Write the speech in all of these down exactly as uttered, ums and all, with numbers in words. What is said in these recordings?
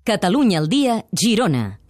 Catalunya al dia, Girona.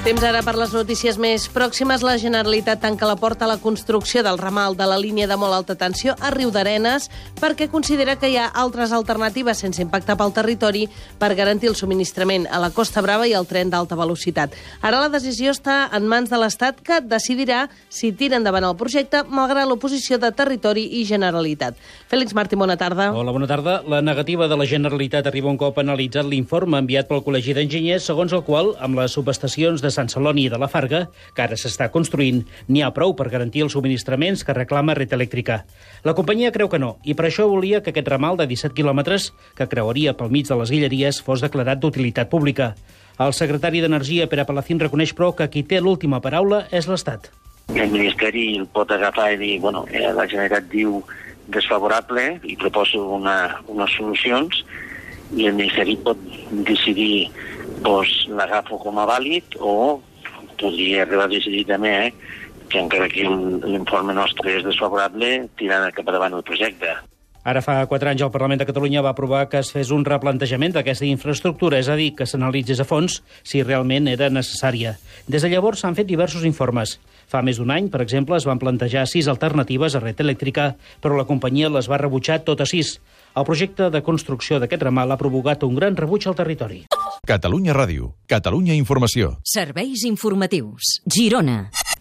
Temps ara per les notícies més pròximes. La Generalitat tanca la porta a la construcció del ramal de la línia de molt alta tensió a Riudarenes perquè considera que hi ha altres alternatives sense impacte pel territori per garantir el subministrament a la Costa Brava i al tren d'alta velocitat. Ara la decisió està en mans de l'Estat, que decidirà si tira endavant el projecte malgrat l'oposició de Territori i Generalitat. Fèlix Martí, bona tarda. Hola, bona tarda. La negativa de la Generalitat arriba un cop analitzat l'informe enviat pel Col·legi d'Enginyers, segons el qual, amb les subestacions de Sant Celoni i de la Farga, que ara s'està construint, n'hi ha prou per garantir els subministraments que reclama Red Eléctrica. La companyia creu que no, i per això volia que aquest ramal de disset quilòmetres, que creuaria pel mig de les Guilleries, fos declarat d'utilitat pública. El secretari d'Energia, Pere Palacín, reconeix, però, que qui té l'última paraula és l'Estat. El Ministeri el pot agafar i dir, bueno, eh, la Generalitat diu desfavorable i proposa una, unes solucions, i el Ministeri pot decidir, doncs, l'agafo com a vàlid, o podria arribar a decidir també eh, que encara que l'informe nostre és desfavorable, tirant cap endavant el projecte. Ara fa quatre anys el Parlament de Catalunya va aprovar que es fes un replantejament d'aquesta infraestructura, és a dir, que s'analitzés a fons si realment era necessària. Des de llavors s'han fet diversos informes. Fa més d'un any, per exemple, es van plantejar sis alternatives a Red Eléctrica, però la companyia les va rebutjar totes sis. El projecte de construcció d'aquest ramal ha provocat un gran rebuig al territori. Catalunya Ràdio, Catalunya Informació. Serveis informatius, Girona.